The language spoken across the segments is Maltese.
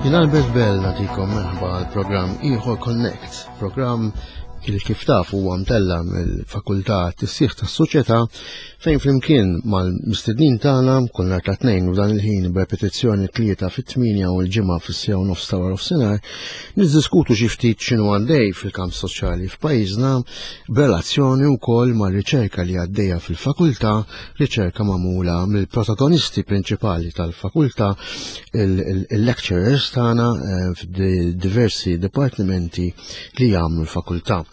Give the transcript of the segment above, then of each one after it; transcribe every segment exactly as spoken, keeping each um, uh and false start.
Jien Albert Bell nagħtikom merħba għal programm ieħor Connect, programm il kif taf huwa mtella mill-Fakultà Tissieħ tas-Soċjetà fejn flimkien mal-mistednin tagħna kull nhar ta' tnejn u dan il-ħin b'repetizzjoni tlieta fit-tmienja u l-ġimgħa fis-siegħa u nofs ta' wara nofsinhar niddiskutu xi ftit x'inhu għaddej fil-kamp soċjali f'pajjiżna b'relazzjoni wkoll mar-riċerka li għaddejja fil-fakultà, riċerka magħmula mill-protagonisti prinċipali tal-fakultà, il-lecturers tagħna eh, f'diversi dipartimenti li jagħmlu l-fakultà.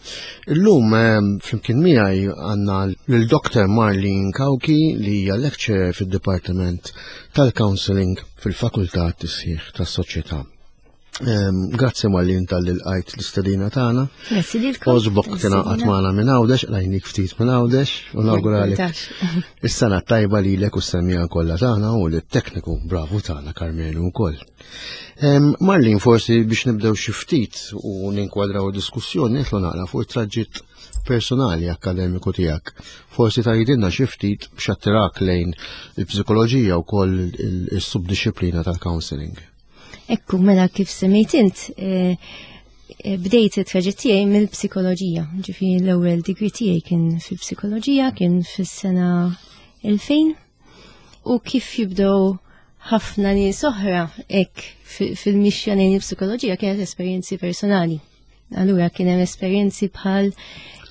Illum eh, flimkien miegħi għandna lil Dr. Marlene Cauchi li hija lecturer fid-Dipartiment tal-Counseling fil-Fakultà Tisħiħ tas-Soċjetà. Ehm, Grazzi Marlene talli lqajt l-istedina tagħna. Grazzi lilkom. Għoġbok tingħaqad magħna minn Għawdex, qlajnik ftit minn Għawdex u nawguralek is-sena tajba lilek u s-semmiegħa kollha tagħna u lit-tekniku bravu tagħna Karmenu wkoll. Ehm, Marlene, forsi biex nibdew xi ftit u ninkwadraw diskussjoni nidħlu naqra fuq it-traġitt personali akkademiku tiegħek. Forsi tgħidilna xi ftit x'attirak lejn il-psikoloġija wkoll il-subdisciplina tal-counseling. Ekku, mela kif semmejt int, eh, eh, bdejt it-traġitt tiegħi mill-psikoloġija. Ġifieri l-ewwel degree tiegħi kien fil-psikoloġija, kien fis-sena elfejn. U kif jibdew ħafna nies oħra hekk fil-mixja lejn il-psikoloġija kienet esperjenzi personali. Allura kien hemm esperjenzi bħal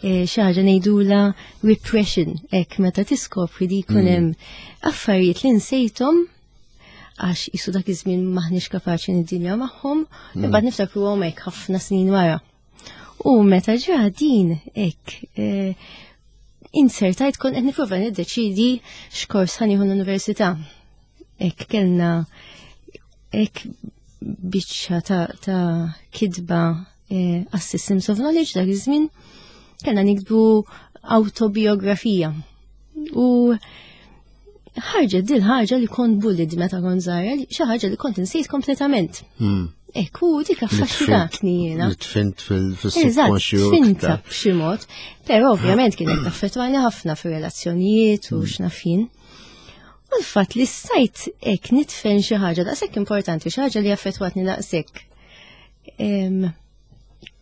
eh, xi ħaġa ngħidula repression, hekk meta tiskopri li jkun hemm affarijiet li nsejthom għax jisu dak iż-żmien maħniex kapaċi niddiljaw magħhom, imbagħad niftakruhom hekk ħafna snin wara. U meta ġra din hekk eh, insertajt kont qed nipprova niddeċidi x'kors ħa nieħu l-università. Hekk kellna hekk biċċa ta', ta kitba eh, Systems of Knowledge dak iż-żmien kellna niktbu autobiografija. U ħarġet dil ħaġa li kont bullied meta kont żgħira, xi ħaġa li kont insejt kompletament. Hmm. Ekku, dik affaxxinatni jiena. Li tfint Eżatt, fil-subconscious. tfinta b'xi mod, però ovvjament kienet taffettwani ħafna fir-relazzjonijiet u x'naf jien. U l-fatt li stajt hekk nitfen xi ħaġa daqshekk importanti, xi ħaġa li affettwatni daqshekk. Em,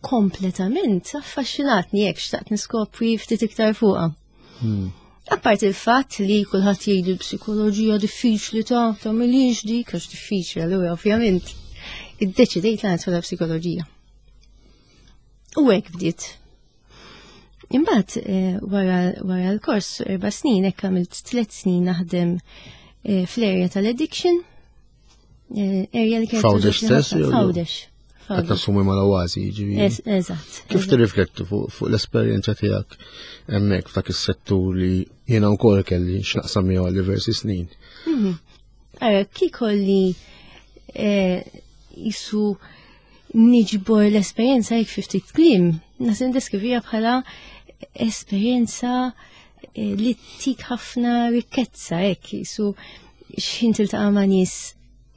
Kompletament affaxxinatni hekk xtaqt niskopri ftit iktar fuqha. Hmm. Apart il-fatt li kulħadd jgħidu l-psikoloġija diffiċli ta' tagħmilix dik għax diffiċli allura ovvjament iddeċidejt li nidħol psikoloġija. U hekk bdiet. Imbagħad eh, wara wara l-kors erba' snin hekk għamilt tliet snin naħdem eh, fl-area tal-addiction. Eh, Area li kienet F'Għawdex togħġobni stess ħafna. jew- F'Għawdex. Qed nassumi mal-Oasi, ġifieri. Es- Eżatt. Kif tirrifletti fuq fuq l-esperjenza tiegħek hemmhekk f'dak is-settur li jiena wkoll kelli x'naqsam miegħu għal diversi snin? Ara, kikolli eh, jisu niġbor l-esperjenza jek fi ftit kliem, nas indeskrivija bħala esperjenza eh, li tik ħafna rikkezza, hekk jisu xħin tiltaqa' ma' nies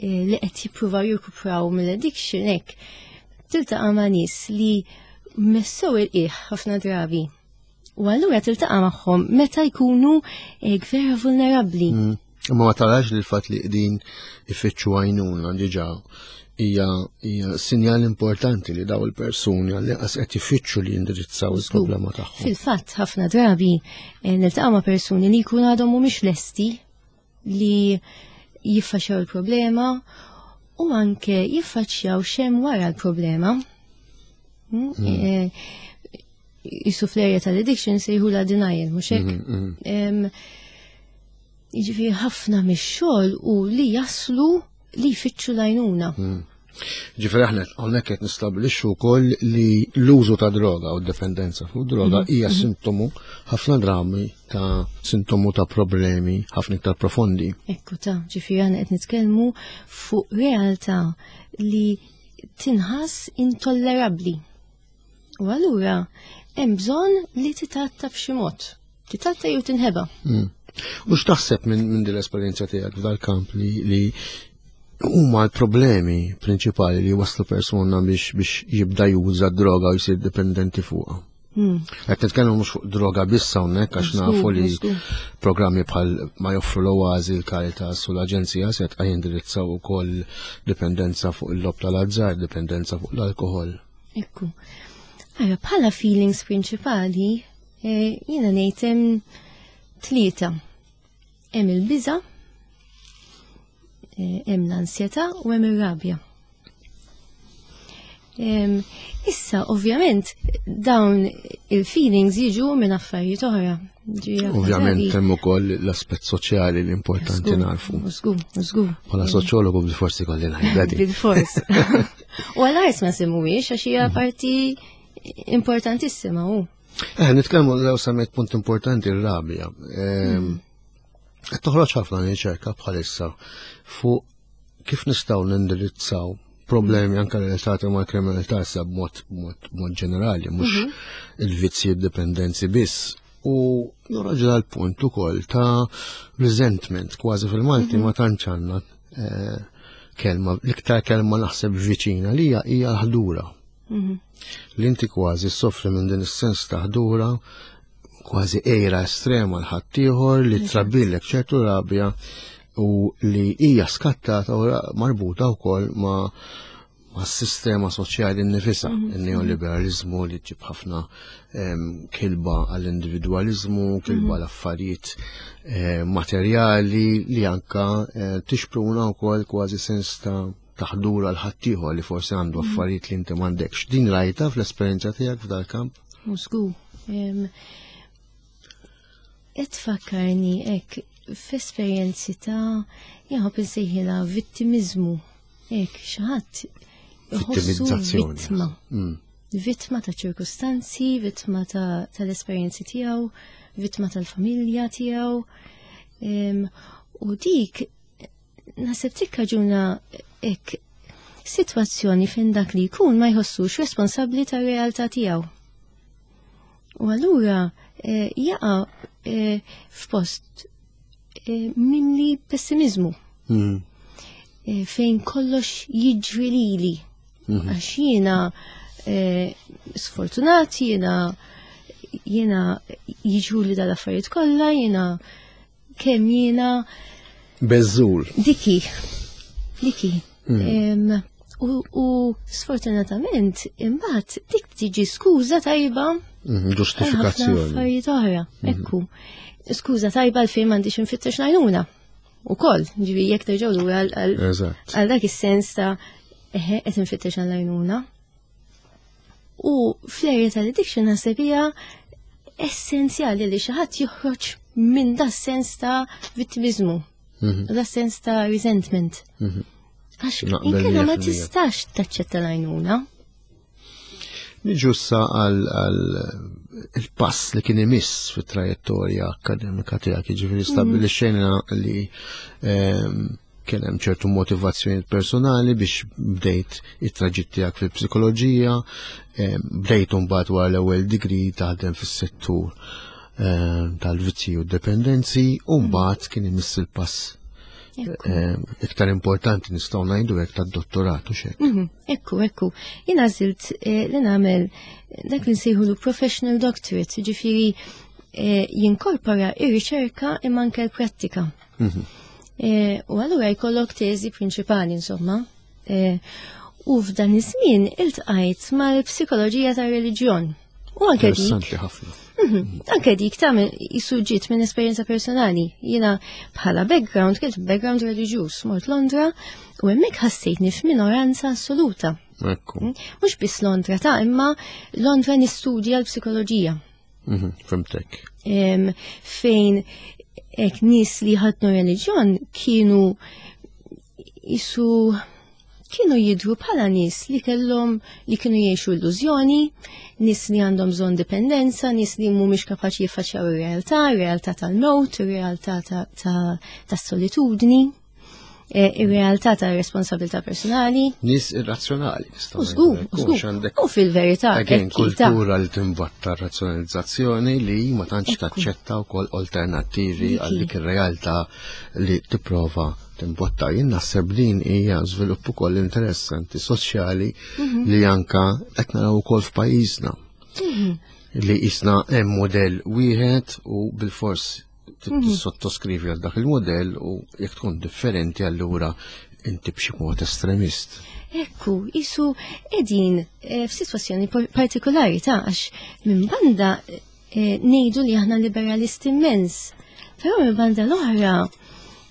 eh, li qed jippruvaw jirkupraw mill-addiction, hekk tiltaqa' ma' nies li messew il-qiegħ ħafna drabi. U allura tiltaqa' magħhom meta jkunu eh, vera vulnerabbli. Mm. Imma ma tarax li l-fatt li qegħdin ifittxu għajnuna diġà hija hija sinjal importanti li daw il-persuni għall-inqas qed ifittxu li jindirizzaw il-problema tagħhom. Fil-fatt, ħafna drabi eh, niltaqa' ma' persuni li jkunu għadhom mhumiex lesti li jiffaċċjaw il-problema u anke jiffaċċjaw x'hemm wara l-problema. Mm, eh, Jisu fl-area tal-addiction sejħula denial, mhux hekk? Mhm, mhm. Em, Jiġifieri ħafna mix-xogħol u li jaslu li jfittxu l-għajnuna. Mm. Ġifieri aħna hawnhekk qed nistabbilixxu wkoll li l-użu ta' droga u d-dipendenza fuq droga mhm. hija mhm. sintomu ħafna drabi ta' sintomu ta' problemi ħafna iktar profondi. Ekku ta' ġifieri aħna qed nitkellmu fuq realtà li tinħass intollerabbli. U allura hemm bżonn li titatta b'xi mod. Titatta jew tinħeba. Mm. U x'taħseb minn min din l-esperjenza tiegħek f'dal-kamp li, li huma l-problemi prinċipali li waslu persuna biex biex jibda juża droga u jsir dipendenti fuqha? Hmm. Qed nitkellmu mhux fuq droga biss hawnhekk għax nafu li programmi bħal ma joffru l-Oażi, l-Caritas u l-Aġenzija se jindirizzaw ukoll dipendenza fuq il-logħob tal-azzar, dipendenza fuq l-alkohol. Ekku. Ara, bħala feelings prinċipali, eh, jiena ngħid hemm tlieta. Hemm il-biża, eh, hemm l-ansjetà u hemm ir-rabja. Issa, ovvjament, dawn il-feelings jiġu minn affarijiet oħra. Ovvjament hemm ukoll l-aspett soċjali li importanti narfu. Żgur, żgur. Bħala soċjologu bil-forsi kolli ngħidha. Bil-fors. U għal ma semmuhiex għax hija parti importantissima hu. Eh, nitkellmu l semmejt punt importanti r-rabja. Hmm. Qed toħroġ ħafna riċerka bħalissa fuq kif nistgħu nindirizzaw problemi anka relatati ma' kriminalità issa b'mod mod ġenerali, mhux mhm. il-vizzji dipendenzi biss. U joħroġ dal-punt ukoll ta' resentment, kważi fil-Malti mhm. ma tantx għandna eh, kelma, l-iktar kelma naħseb viċina li hija hija l-ħdura. Mhm. Li inti kważi soffri minn din is-sens ta' ħdura, kważi għira estrema l-ħaddieħor li trabbilek ċertu rabja u li hija skattata u marbuta wkoll ma' ma' sistema soċjali nnifisha, mhm. il-neoliberalizmu li ġib ħafna kilba għall-individualizmu, kilba mhm. l-affarijiet eh, materjali li anka eh, tixpruna wkoll kważi sens ta' taħdura l-ħaddieħor li forsi għandu mhm. affarijiet li inti m'għandekx. Din rajta fl-esperjenza tiegħek f'dal-kamp? Musku. Qed tfakkarni hekk f'esperjenzi ta' jien insejħilha vittimizmu. Hekk xi ħadd iħossu vittma. Mm. Vittma ta' ċirkustanzi, vittma tal-esperjenzi tiegħu, vittma tal-familja tiegħu. U dik naħseb tikkaġuna hekk sitwazzjoni fejn dak li jkun ma jħossux responsabbli tar-realtà tiegħu. U allura eh, jaqa' eh, f'post eh, mimli pessimizmu. Mm. Fejn kollox jiġri lili. Mm-hmm. Għax jiena sfortunat, jiena jiena jiġru li dal-affarijiet kollha, jiena kemm jiena Beżżul. Diki. Diki. Mm. U, u sfortunatament, imbagħad dik tiġi skuża tajba. Mm, ġustifikazzjoni. Affarijiet oħra, mhm. ekku. Skuża tajba għal fejn m'għandix infittex ngħinuna. Ukoll, ġifi jekk terġgħu lura għal dak is-sens ta' eħe qed infittex għall-għajnuna. U fl-area tal-addiction naħseb hija essenzjali li xi ħadd joħroġ minn da sens ta' vittimizmu, mhm. da sens ta' resentment. Mhm. Għax inkella ma tistax taċċetta l-għajnuna. Niġu issa għal il-pass li kien imiss fit-trajettorja akademika tiegħek, jiġifieri mhm. stabbilixxejna li ehm, kien hemm ċertu motivazzjoni personali biex bdejt it-traġitt tiegħek fil-psikoloġija, ehm, bdejt mbagħad wara l-ewwel degree taħdem fis-settur ehm, tal-vizzji u d-dependenzi, u mbagħad kien imiss il-pass iktar importanti nistgħu ngħidu hekk tad-dottorat u xek. Mhm, ekku, ekku. Jien għażilt eh, li nagħmel dak li nsejħulu professional doctorate, ġifieri eh, jinkorpora ir-riċerka imma anke l-prattika. Mhm. Eh, u allura jkollok teżi prinċipali insomma. U f'dan iż-żmien iltqajt mal-psikoloġija tar-reliġjon. U anke dik. ħafna. Mhm. Anke dik ta' ġiet minn esperjenza personali. Jiena bħala background, kien background reliġjuż, mort Londra u hemmhekk ħassejtni f'minoranza assoluta. Ekku. Mm? Mhux biss Londra ta' imma Londra nistudja l-psikoloġija. Mhm, fimtek. Fejn hekk nies li ħadnu reliġjon kienu jisu Kienu jidhru bħala nies li kellhom li kienu jgħixu illużjoni, nies li għandhom bżonn dipendenza, nies li mhumiex kapaċi jiffaċċjaw ir-realtà, ir-realtà tal-mewt, ir-realtà tas-solitudni, eh, ir-realtà tar-responsabilità personali. Nies irrazzjonali, nistgħu żgur, żgur. U fil-verità, Again, kultura li timbotta razzjonalizzazzjoni li ma tantx taċċetta wkoll alternattivi għal dik ir-realtà li tipprova timbotta. Jien naħseb din hija żvilupp ukoll interessanti soċjali mhm. li anka qed naraw ukoll f'pajjiżna. Mhm. Li jisna hemm modell wieħed u bilfors mhm. tissottoskrivi għal dak il-modell u jekk tkun differenti allura inti b'xi mod estremist. Ekku, jisu edin eh, f'sitwazzjoni partikolari ta' għax minn banda eh, ngħidu li aħna liberalisti immens, però minn banda l-oħra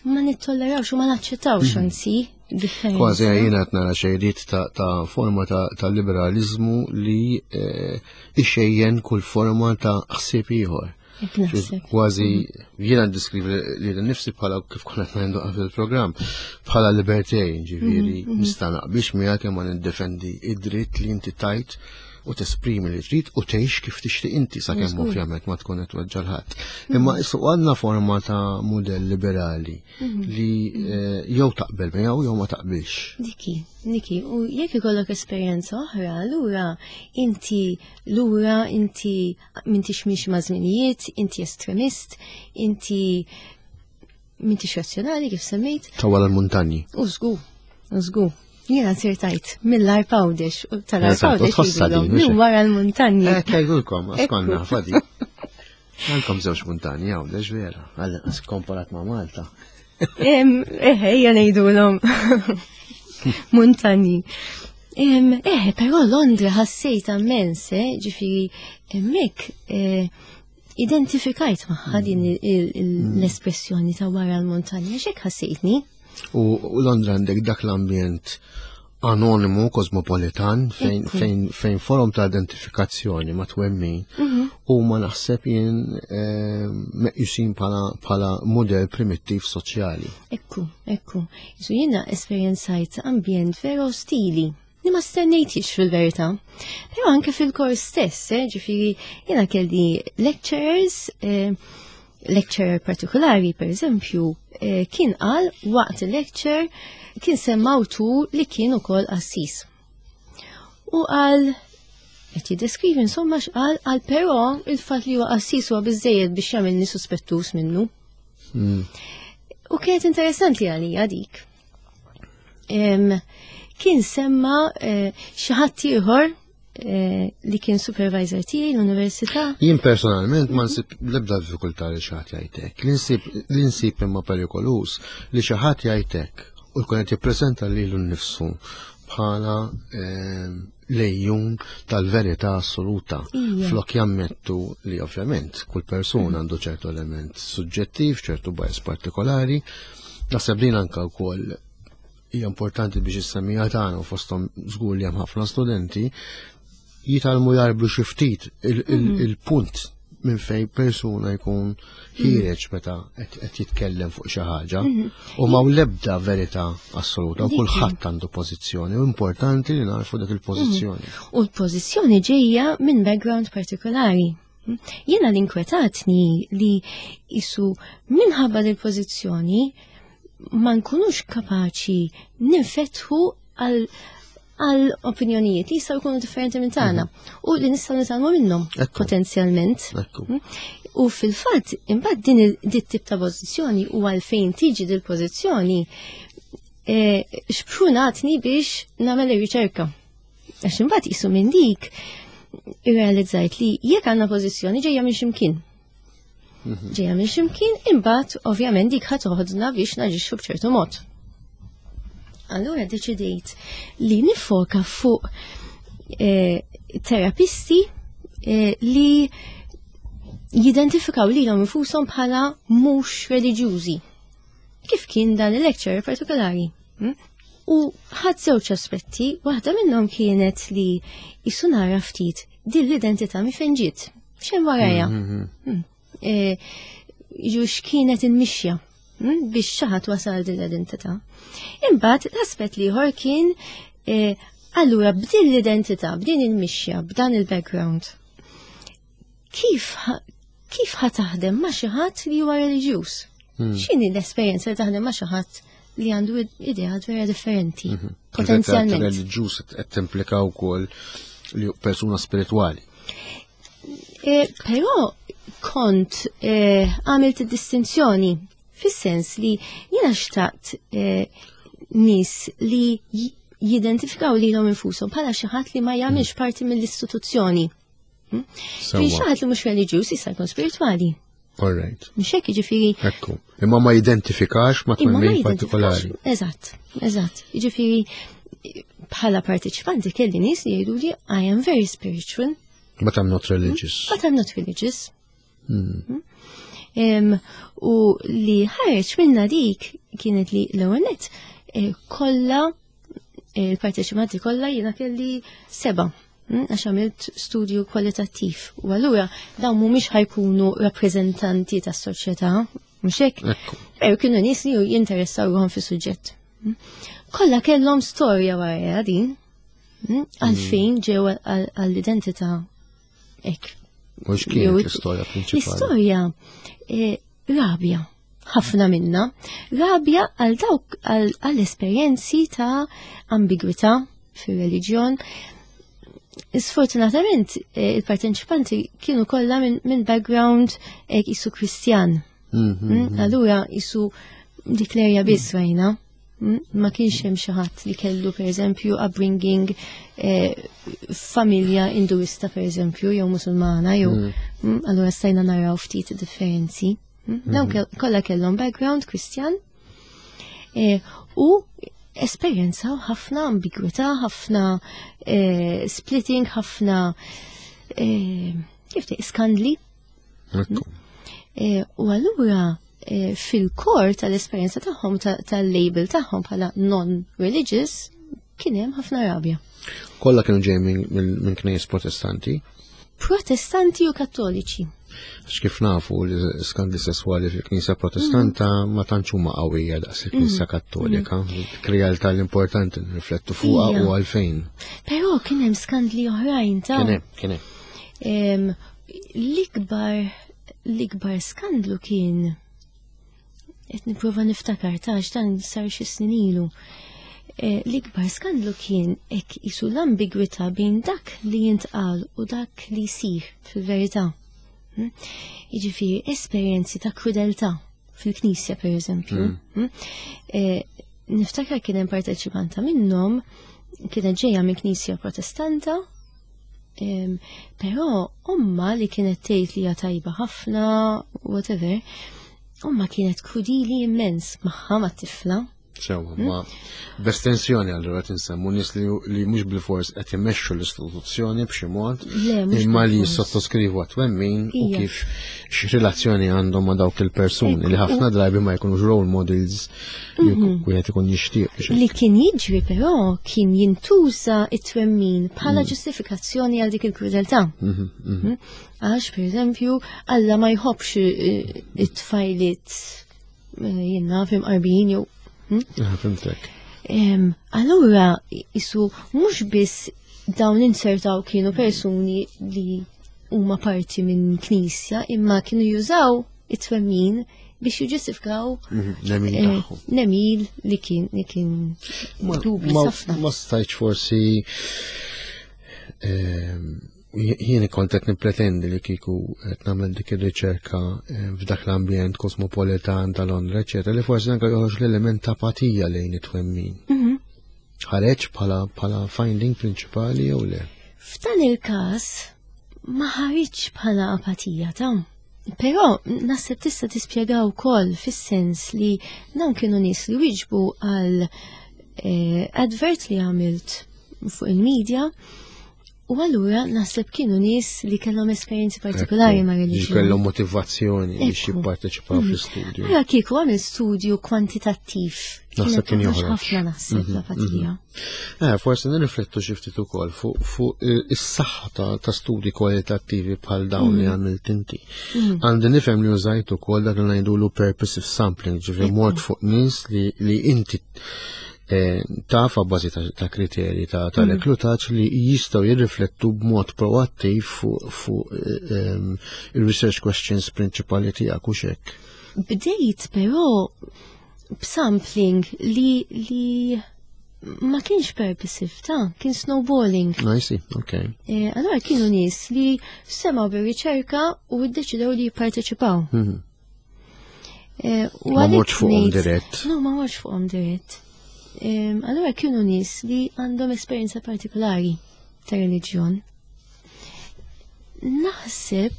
ma nittollerawx u ma naċċettawx mhm. anzi differenza. Kważi jiena qed nara xejriet ta' forma ta' liberalizmu li eh, ixejjen kull forma ta' ħsieb ieħor. Kważi mhm. jiena ndiskrivi li nifsi bħala kif konna qed ngħidu qabel il-programm bħala libertarian, ġifieri mhm, nista' naqbilx miegħek imma niddefendi id-dritt li inti tajt u tesprimi li trid u tgħix kif tixtieq inti sakemm ovvjament ma tkun qed tweġġa' ħadd. Imma issa għandna forma ta' mudell liberali mhm. li eh, jew taqbel miegħu jew ma taqbilx. Diki, diki, u jekk ikollok esperjenza oħra, allura inti lura inti m'intix mixi ma' żminijiet, inti estremist, inti m'intix razzjonali kif semmejt. Ta' wara l-muntanji. U żgur, u żgur. Jiena sirtajt mill-Għarb Għawdex u tal-Għarb Għawdex jgħidulhom minn wara l-muntanji. Eh, jgħidulkom, għax konna fadi. Għandkom żewġ muntanji Għawdex vera, għal komparat ma' Malta. Eh, ejja ngħidulhom muntanji. Eh, però Londra ħassejt ammens, eh, ġifieri hemmhekk eh, identifikajt magħha din mm. l-espressjoni ta' wara l-muntanja, x'hekk ħassejtni. U Londra għandek dak l-ambjent anonimu, kosmopolitan, fejn, fejn, fejn forom ta' identifikazzjoni ma' twemmin mhm. u ma naħseb jien eh, meqjusin bħala model primittiv soċjali. Ekku, ekku. Jisu jiena esperjenzajt ambjent vera ostili li ma stennejtix fil-verità. Però anke fil-kors stess, eh, ġifieri jiena kelli lecturers, eh, lecturer partikolari, per eżempju, eh, kien qal waqt il-lecture kien semma awtur li kien ukoll qassis. U qal qed jiddeskrivi insomma x'qal qal però il-fatt li huwa qassis huwa biżejjed biex jagħmilni suspettuż minnu. Hmm. U kienet interessanti għalija dik. Kien semma eh, xi ħadd ieħor eh, li kien supervisor tiegħi l-università. Jien personalment ma nsib l-ebda diffikultà li xi ħadd jgħidlek. Li nsib imma perikoluż li xi ħadd jgħidlek u jkun qed jippreżenta lilu nnifsu bħala eh, lejjun tal-verità assoluta. Flok jammettu li ovvjament kull persuna għandu ċertu element suġġettiv, ċertu bias partikolari. Naħseb din anka wkoll hija importanti biex is-semmiegħa tagħna u fosthom żgur li hemm ħafna studenti jitgħallmu jarblu xi ftit mhm. il-punt minn fejn persuna jkun ħiereġ meta qed jitkellem fuq xi ħaġa mhm. u ma l-ebda verità assoluta u kulħadd għandu pożizzjoni u importanti li narfu dak il-pożizzjoni. Mhm. U l-pożizzjoni ġejja minn background partikolari. Jiena l-inkwetatni li jisu minħabba l-pożizzjoni ma nkunux kapaċi ninfetħu għal għal opinjonijiet li jistgħu jkunu differenti minn tagħna mhm. u li nistgħu nitgħallmu minnhom potenzjalment. Mm? U fil-fatt imbagħad din dit tip ta' pożizzjoni u għalfejn tiġi dil pożizzjoni e, xprunatni biex nagħmel ir-riċerka. Għax imbagħad qisu minn dik irrealizzajt li jekk għandna pożizzjoni ġejja minn x'imkien. Mhm. Ġejja minn x'imkien, imbagħad ovvjament dik ħa toħodna biex naġixxu b'ċertu mod. Allura deċidejt li nifoka fuq eh, terapisti eh, li jidentifikaw lilhom infushom bħala mhux reliġjużi. Kif kien dan il-lecture partikolari. Hm? U ħadd żewġ aspetti, waħda minnhom kienet li jisu nara ftit din l-identità mi fejn ġiet. X'hemm warajja? Mhm. Hmm. E, Jiġu x'kienet il-mixja. mm, biex xi ħadd wasal din l-identità. Imbagħad l-aspett l-ieħor kien eh, allura b'din l-identità, b'din il-mixja, b'dan il-background. Kif kif ħa taħdem ma' xi ħadd li huwa reliġjuż? Hmm. X'inhi l-esperjenza li taħdem ma' xi ħadd li għandu ideat vera differenti, mhm. potenzjalment? Reliġjuż qed timplika wkoll li persuna spiritwali. E, però kont e, għamilt distinzjoni fis-sens li jiena xtaqt e, nies li jidentifikaw lilhom infushom bħala xi ħadd li ma jagħmilx parti mill-istituzzjoni. Hm? Fi xi ħadd li mhux reliġjuż jista' jkun spiritwali. All right. Mhux hekk jiġifieri. Ekku. Imma ma jidentifikax ma twemmin partikolari. Eżatt, eżatt. Jiġifieri bħala partiċipanti kelli nies li jgħidu li I am very spiritual. But I'm not religious. But I'm not religious. Hmm. Hmm? U li ħareġ minna dik kienet li l-ewwel nett eh, kollha il-parteċipanti kollha jiena kelli seba' hmm, għax għamilt studju kwalitattiv. U allura dawn mhumiex ħa jkunu rappreżentanti tas-soċjetà, mhux hekk? Però kienu nies li jinteressaw ruħhom fis-suġġett. Hmm. Kollha kellhom storja wara din, hmm, għalfejn ġew għall-identità hekk. U x'kienet l-istorja prinċipali? L-istorja eh, rabja ħafna minna, rabja għal dawk għall-esperjenzi ta' ambigwità fir-reliġjon. Sfortunatament eh, il-parteċipanti kienu kollha minn min background eh, jisu Kristjan. Mm-hmm. Mm, allura jisu dik l-erja biss rajna. Mm, ma kienx hemm xi ħadd li kellu pereżempju upbringing eh, familja Induista pereżempju jew Musulmana jew mm. mm, allura stajna naraw ftit differenzi. Dawn mhm. kollha kellhom background Kristjan eh, u esperjenzaw ħafna ambigwità, ħafna eh, splitting, ħafna eh, kif te skandli. U allura fil-core tal-esperjenza tagħhom tal-label tagħhom bħala non-religious kien hemm ħafna rabja. Kollha kienu ġej minn knejjes Protestanti? Protestanti u Kattoliċi. Kif nafu li skandli sessuali fil-Knisja Protestanta mm. ma tantx huma qawwija daqs il-Knisja mm. Kattolika. Mm. Realtà l-importanti nriflettu fuqha u għalfejn. Però kien hemm skandli oħrajn ta' Kien hemm, kien hemm. L-ikbar l-ikbar skandlu kien qed nipprova niftakar ta' dan sar xi snin ilu. E, l-ikbar skandlu kien hekk isu l-ambigwità bejn dak li jintqal u dak li jsir fil-verità. Hm? Jiġifieri esperjenzi ta' krudeltà fil-knisja per eżempju. Mm. Hm? E, niftakar kien hemm parteċipanta minnhom kienet ġejja minn knisja Protestanta, però omma li kienet tgħid li hija tajba ħafna, whatever, omma kienet krudili immens magħha mat-tifla. Sewa, ma b'estensjoni allura tinsemmu nies li li mhux bil-fors qed imexxu l-istituzzjoni b'xi mod, imma li jissottoskrivu għat-twemmin u kif x'relazzjoni għandhom ma' dawk il-persuni li ħafna drabi ma jkunux role models li mhm. wieħed ikun jixtieq. Li kien jiġri però kien jintuża it-twemmin bħala mm. ġustifikazzjoni għal dik il-krudeltà. Mhm, mhm. Mm? Għax, per eżempju, Alla ma jħobbx eh, it-tfajliet eh, jenna fim qarbin jew Hmm? Ah, fimtek. Allura, isu mhux biss dawn insertaw kienu persuni li huma parti minn knisja, imma kienu jużaw it-twemmin biex jiġġustifikaw mhm, nemil eh, nemil li kien li kien dubju ħafna. Ma stajtx forsi jien kont qed nippretendi li kieku qed nagħmel dik ir-riċerka eh, f'dak l-ambjent kosmopolitan ta' Londra, eċetera, li forsi anke joħroġ l-element ta' apatija lejn it-twemmin. Mhm. Ħareġ bħala bħala finding prinċipali jew le? F'dan il-każ ma ħareġ bħala apatija ta' Però naħseb tista' tispjega wkoll fis-sens li dawn kienu nies li wieġbu għal eh, advert li għamilt fuq il-medja U allura naħseb kienu nies li kellhom esperjenzi partikolari ma' reliġjon. Kellhom motivazzjoni biex jipparteċipaw mm. fl-istudju. Allura kieku għamil studju kwantitattiv. Naħseb kien joħroġ. Ħafna naħseb mhm, l-apatija. Mhm. Eh, forsi nirriflettu xi ftit ukoll fuq is-saħħa ta' studji kwalitattivi bħal dawn li mhm. għamilt inti. Għandi nifhem li użajt ukoll dak li ngħidulu purposive sampling, ġifieri mort fuq nies li inti Eh, taf bażi ta' kriterji ta' mm. reklutaġġ li jistgħu jirriflettu b'mod proattiv fuq eh, il-research questions prinċipali tiegħek u xek. Bdejt però b'sampling li li ma kienx purposive ta' kien snowballing. I see, okay. Eh, allora kienu nies li semgħu bir-riċerka u ddeċidew li jipparteċipaw. Mhm. Ma mortx fuqhom dirett. No, ma mortx fuqhom dirett. Allora kienu nies li għandhom esperjenza partikolari ta' reliġjon. Naħseb,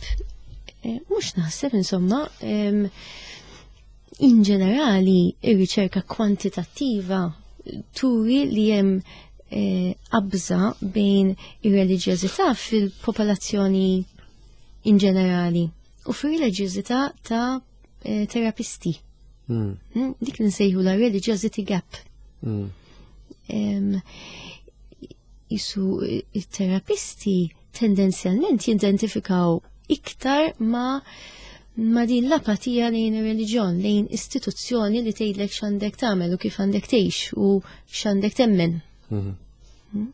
eh, mhux naħseb insomma, in ġenerali ir-riċerka kwantitattiva turi li hemm eh, qabża bejn ir-reliġjożità fil-popolazzjoni in ġenerali u fir-reliġjożità ta' eh, terapisti. Hmm. Hmm, dik li nsejħu la religiosity gap. Mm. Jisu il-terapisti tendenzjalment jidentifikaw iktar ma ma din l-apatija lejn ir-reliġjon, lejn istituzzjoni li tgħidlek x'għandek tagħmel u kif għandek tgħix u x'għandek temmen. Mm-hmm.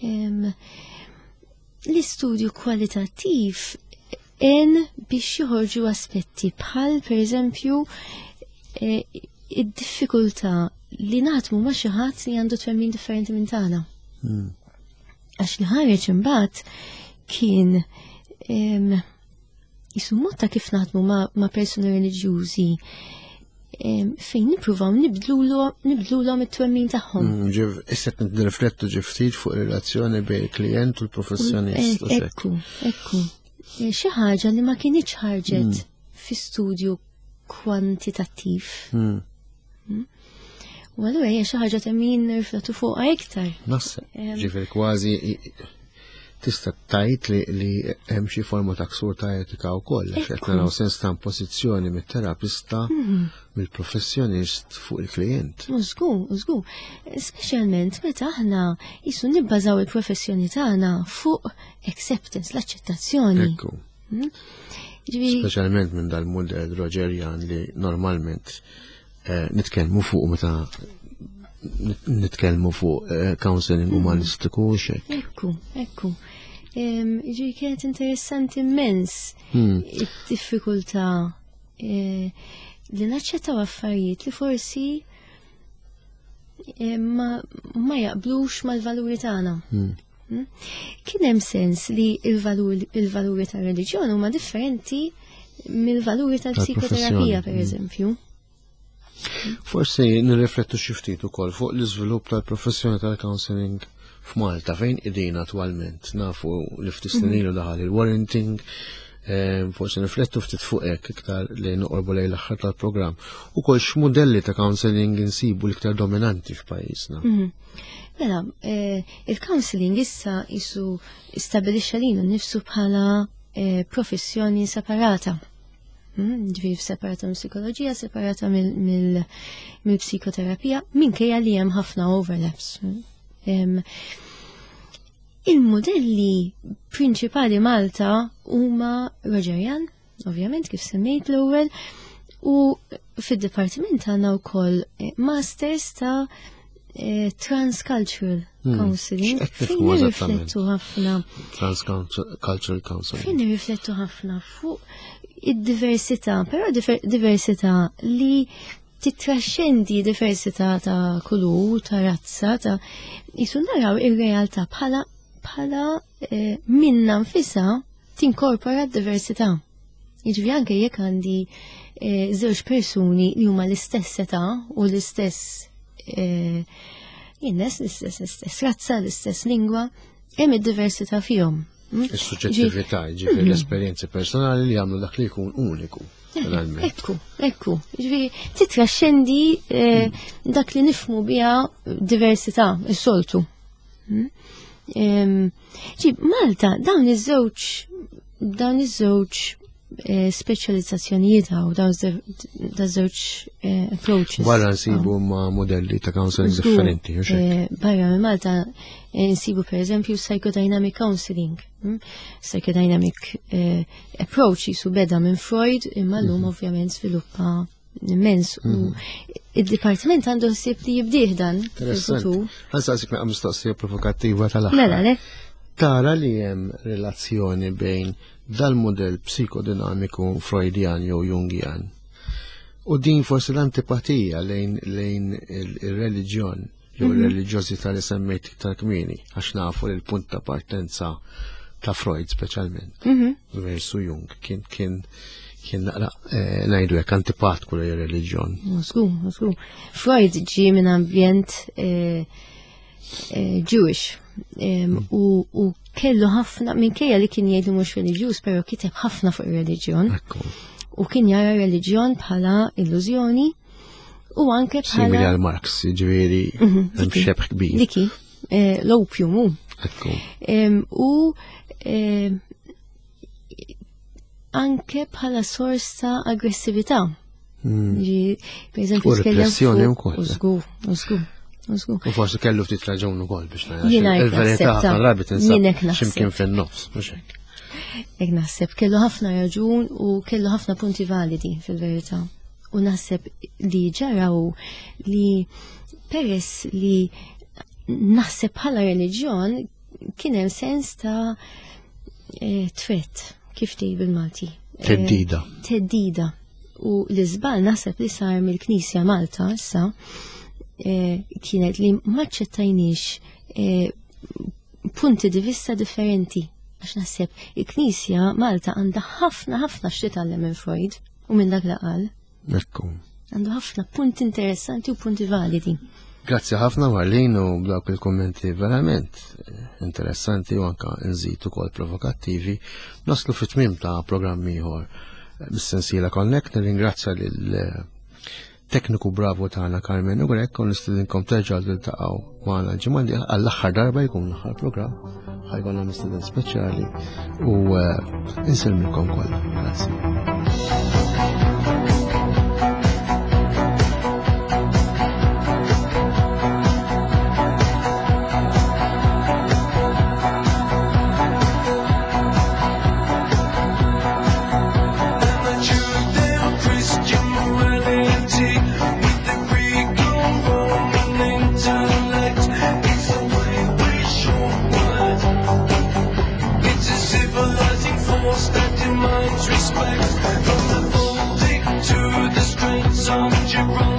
Mm. L-istudju kwalitattiv en biex joħorġu aspetti bħal per eżempju eh, id-diffikultà li naħdmu ma' xi ħadd li għandu twemmin differenti minn tagħna. Hmm. Għax li ħareġ imbagħad kien jisu mod ta' kif naħdmu ma' persuni reliġjużi fejn nippruvaw nibdlulhom it-twemmin tagħhom. Hmm, ġif, issa qed nirriflettu ġi ftit fuq ir-relazzjoni bejn il-klijent u l-professjonist. Eh, ekku, ekku. Eh, xi ħaġa li ma kinitx ħarġet hmm. fi studju kwantitattiv. U allura hija xi ħaġa ta' min nirriflettu fuqha iktar. Naħseb, ġifieri kważi tista' tgħid li li hemm xi forma ta' ksur ta' etika wkoll, għax qed naraw sens ta' impożizzjoni mit-terapista mhm. mill-professjonist fuq il-klijent. Żgur, żgur. Speċjalment meta aħna jisu nibbażaw il-professjoni tagħna fuq acceptance, l-aċċettazzjoni. Ekku. Hmm? Ġifieri Speċjalment minn dal-modell Rogerian li normalment eh, nitkellmu fuq meta nitkellmu fuq eh, counseling hmm. umanistiku u xek. Ekku, ekku. Ġifieri kienet interessanti immens hmm. id-diffikultà eh, li naċċettaw affarijiet li forsi eh, ma, ma jaqblux mal-valuri tagħna. Hmm. Hmm? Kien hemm sens li il-valuri tar-reliġjon huma differenti mill-valuri tal-psikoterapija, per eżempju. Forsi nirriflettu xi ftit ukoll fuq l-iżvilupp tal-professjoni tal-counseling f'Malta fejn qegħdin attwalment. Nafu li ftit snin ilu daħal il-warranting, eh, forsi nirriflettu ftit fuq hekk iktar li noqorbu lejn l-aħħar tal-programm. Ukoll x'modelli ta' counseling insibu l-iktar dominanti f'pajjiżna. Mhm. Mela, eh, il-counseling issa jisu stabilixxa lilu nnifsu bħala eh, professjoni separata. Mm, ġifieri separata mill-psikoloġija, separata mill-psikoterapija, minkejja li hemm ħafna overlaps. Mm. Il-modelli prinċipali Malta huma Rogerian, ovvjament kif semmejt l-ewwel, u fid-dipartiment għandna wkoll eh, masters ta' eh, transcultural hmm. counseling. Fejn nirriflettu ħafna. Transcultural counseling. Fejn nirriflettu ħafna fuq id-diversità, però diversità li titraxxendi diversità ta' kulur, ta' razza, ta' jisu naraw ir-realtà bħala bħala eh, minna nfisha tinkorpora d-diversità. Jiġifieri anke jekk għandi eh, żewġ persuni li huma l-istess età u l-istess eh, jinnes, l-istess l-istess razza, l-istess lingwa, hemm id-diversità fihom. Mm? Is-suġġettività, ġifieri mm-hmm. l-esperjenzi personali li jagħmlu dak li jkun uniku. Ekku, ekku. Ġifieri titraxxendi eh, mm. dak li nifmu biha diversità, is-soltu. Mm? Ġi, Malta, dawn iż-żewġ dawn iż-żewġ eh, speċjalizzazzjonijiet hawn, dawn iż-żewġ eh, approaches. Barra nsibu ma modelli ta' counseling differenti, hux hekk? Eh, barra minn Malta nsibu per eżempju psychodynamic counseling. hm? Psychodynamic approach jisu beda minn Freud, imma llum mhm. ovvjament sviluppa immens u id-dipartiment għandu ħsieb li jibdih dan fil-futur. Ħa nsaqsik naqra mistoqsija provokattiva tal-aħħar. Mela, le? Tara li hemm relazzjoni bejn dal-modell psikodinamiku Freudian jew Jungian u din forsi l-antipatija lejn lejn il-reliġjon jew mhm. il-reliġjożità li semmejt iktar kmieni, għax nafu li l-punt ta' partenza ta' Freud speċjalment mhm. versu Jung kien kien kien naqra eh, ngħidu hekk antipatku lejn ir-reliġjon. Żgur, żgur. Freud ġie minn ambjent eh, eh, Jewish mm. u kellu ħafna minkejja li kien jgħidu mhux reliġjuż, però kiteb ħafna fuq ir-reliġjon. U kien jara reliġjon bħala illużjoni u anke bħala. Simili għal Marx, ġifieri mhm, hemm xebh kbir. Diki, l-opium hu. U anke bħala sors ta' aggressività. Hmm. Per eżempju, U repressjoni wkoll. Żgur, żgur. U forsi kellu ftit raġun ukoll biex Jiena il-verità naħseb ta' rabi tinsab Jien hekk naħseb. x'imkien fin-nofs, mhux hekk. Hekk naħseb kellu ħafna raġun u kellu ħafna punti validi fil-verità. U naħseb li ġara u li peress li naħseb bħala reliġjon kien hemm sens ta' eh, threat, kif tgħid bil-Malti? Eh, Teddida. Teddida. U l-iżbal naħseb li sar mill-Knisja Malta issa eh, kienet li maċċettajniex eh, punti di vista differenti. Għax naħseb il-Knisja Malta għandha ħafna ħafna x'titgħallem minn Freud u minn dak li qal. Ekku. Għandu ħafna punti interessanti u punti validi. Grazzi ħafna Marlene u b'dawk il-kommenti verament eh, interessanti u anka nżid ukoll provokattivi. Naslu fit-tmiem ta' programm ieħor eh, mis-sensiela Connect. Nirringrazzja lil eh, tekniku bravo tagħna Carmen u Grek u nistedinkom terġgħu tiltaqgħu magħna l-ġimgħa d għall-aħħar darba jkun l-aħħar programm ħa jkollna mistieden speċjali u insellmilkom kollha. Grazzi. Christian morality with the Greco-Roman intellect. It's a way short. It's a civilizing force that demands respect. From the Baltic to the Straits of Gibraltar.